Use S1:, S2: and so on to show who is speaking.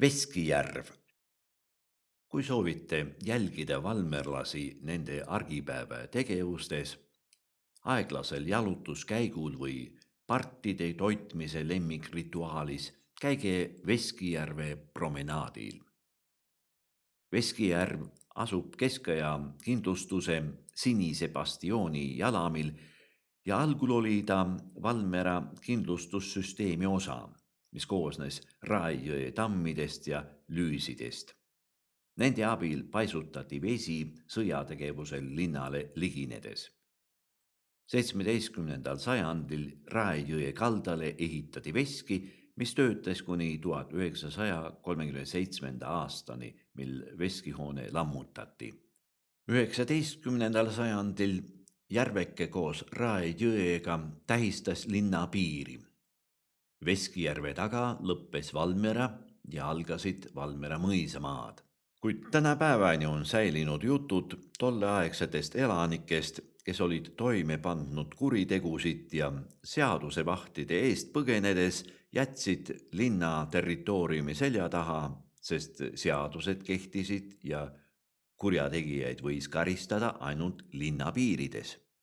S1: Veskijärv. Kui soovite jälgida valmerlasi nende argipäeva tegevustes, aeglasel jalutuskäigul või partide toitmise lemmikrituaalis, käige Veskijärve promenaadil. Veskijärv asub keskaja kindlustuse Sinise Bastioni jalamil ja algul oli ta Valmera kindlustussüsteemi osa, mis koosnes Raejõe tammidest ja lüüsidest. Nende abil paisutati vesi sõjategevusel linnale liginedes. 17. sajandil Raejõe kaldale ehitati veski, mis töötas kuni 1937. aastani, mil veskihoone lammutati. 19. sajandil järveke koos Raejõega tähistas linna piiri. Veskijärve taga lõppes Valmera ja algasid Valmera mõisamaad. Kuid tänapäevani on säilinud jutud tolleaegsetest elanikest, kes olid toime pandnud kuritegusid ja seadusevahtide eest põgenedes jätsid linna territooriumi selja taha, sest seadused kehtisid ja kurjategijaid võis karistada ainult linna piirides.